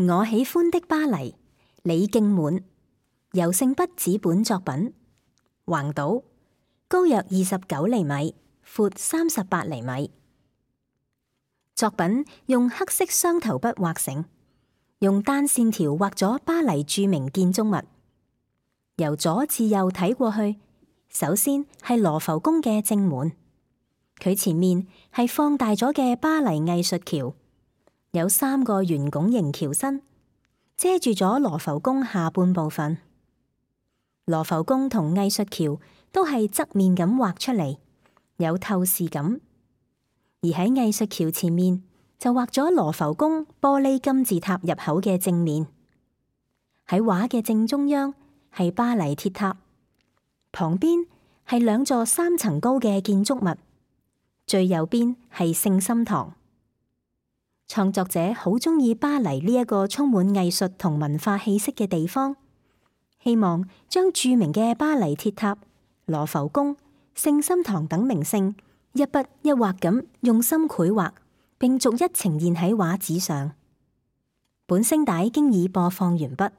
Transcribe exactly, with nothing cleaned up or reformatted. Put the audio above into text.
我喜歡的巴黎，李敬滿，由聖筆紙本作品，橫島，高約二十九厘米，闊三十八厘米。作品用黑色雙頭筆畫成，用單線條畫咗巴黎著名建築物。由左至右睇過去，首先係羅浮宮嘅正門，佢前面係放大咗嘅巴黎藝術橋，有三個圓拱形橋身，遮住咗羅浮宮下半部分。羅浮宮同藝術橋都係側面咁畫出嚟，有透視感。而喺藝術橋前面就畫咗羅浮宮玻璃金字塔入口嘅正面。喺畫嘅正中央係巴黎鐵塔，旁邊係兩座三層高嘅建築物，最右邊係聖心堂。創作者好鍾意巴黎呢一個充滿藝術同文化氣息嘅地方，希望將著名嘅巴黎鐵塔、羅浮宮、聖心堂等名勝一筆一畫咁用心繪畫，並逐一呈現喺畫紙上。本聲帶經已播放完畢。